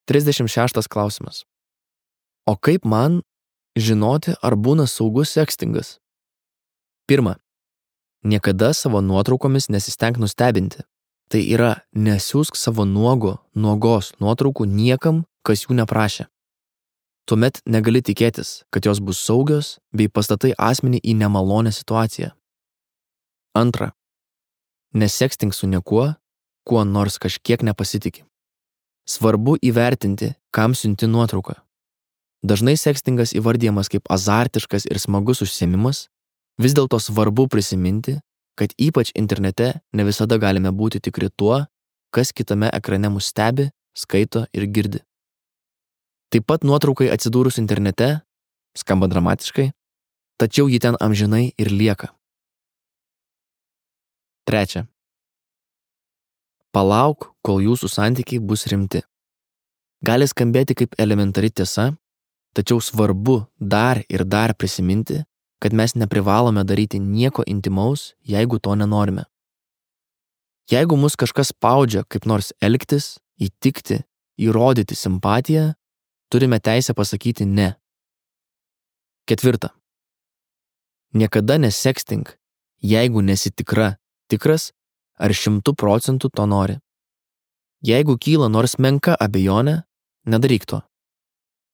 36 klausimas. O kaip man žinoti, ar būna saugus sekstingas? Pirma, niekada savo nuotraukomis nesistenk nustebinti. Tai yra, nesiųsk savo nuogos nuotraukų niekam, kas jų neprašė. Tuomet negali tikėtis, kad jos bus saugios bei pastatai asmenį į nemalonę situaciją. Antra, nesekstink su niekuo, kuo nors kažkiek nepasitiki. Svarbu įvertinti, kam siunti nuotrauką. Dažnai sekstingas įvardijamas kaip azartiškas ir smagus užsiėmimas, vis dėlto svarbu prisiminti, kad ypač internete ne visada galime būti tikri tuo, kas kitame ekrane mus stebi, skaito ir girdi. Taip pat nuotraukai atsidūrus internete, skamba dramatiškai, tačiau ji ten amžinai ir lieka. Trečia. Palauk, kol jūsų santykiai bus rimti. Gali skambėti kaip elementari tiesa, tačiau svarbu dar ir dar prisiminti, kad mes neprivalome daryti nieko intimaus, jeigu to nenorime. Jeigu mus kažkas spaudžia kaip nors elgtis, įtikti, įrodyti simpatiją, turime teisę pasakyti ne. Ketvirta. Niekada nesekstink, jeigu nesi tikras ar 100% to nori. Jeigu kyla nors menka abejonė, nedaryk to.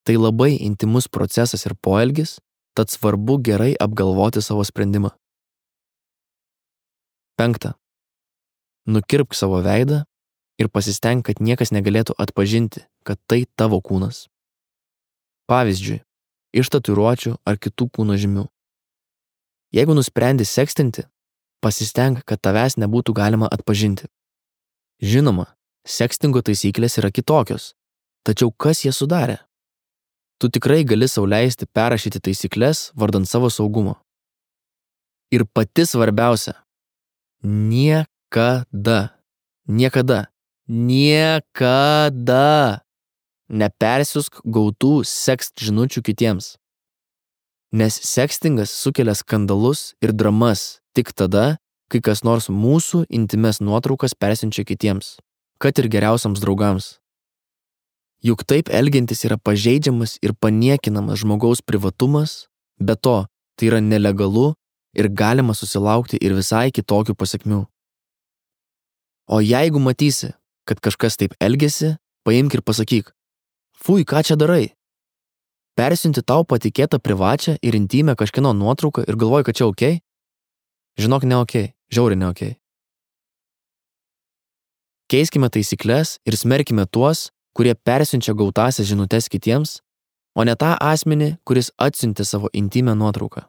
Tai labai intimus procesas ir poelgis, tad svarbu gerai apgalvoti savo sprendimą. Penkta. Nukirpk savo veidą ir pasistenk, kad niekas negalėtų atpažinti, kad tai tavo kūnas. Pavyzdžiui, iš tatuiruočių ar kitų kūno žymių. Jeigu nusprendi sekstinti, pasistenk, kad tavęs nebūtų galima atpažinti. Žinoma, sekstingo taisyklės yra kitokios, tačiau kas jas sudarė? Tu tikrai gali sau leisti perrašyti taisyklės vardant savo saugumo. Ir pati svarbiausia – niekada nepersiųsk gautų sekst žinučių kitiems. Nes sekstingas sukelia skandalus ir dramas tik tada, kai kas nors mūsų intimes nuotraukas persiunčia kitiems, kad ir geriausiams draugams. Juk taip elgiantis yra pažeidžiamas ir paniekinamas žmogaus privatumas, be to, tai yra nelegalu ir galima susilaukti ir visai kitokių pasekmių. O jeigu matysi, kad kažkas taip elgiasi, paimk ir pasakyk, fui, ką čia darai? Persiunti tau patikėtą privačią ir intymę kažkieno nuotrauką ir galvoji, kad čia okei? Žinok, ne okei, žiauriai ne okei. Keiskime taisyklės ir smerkime tuos, kurie persiunčia gautąsias žinutes kitiems, o ne tą asmenį, kuris atsiuntė savo intymę nuotrauką.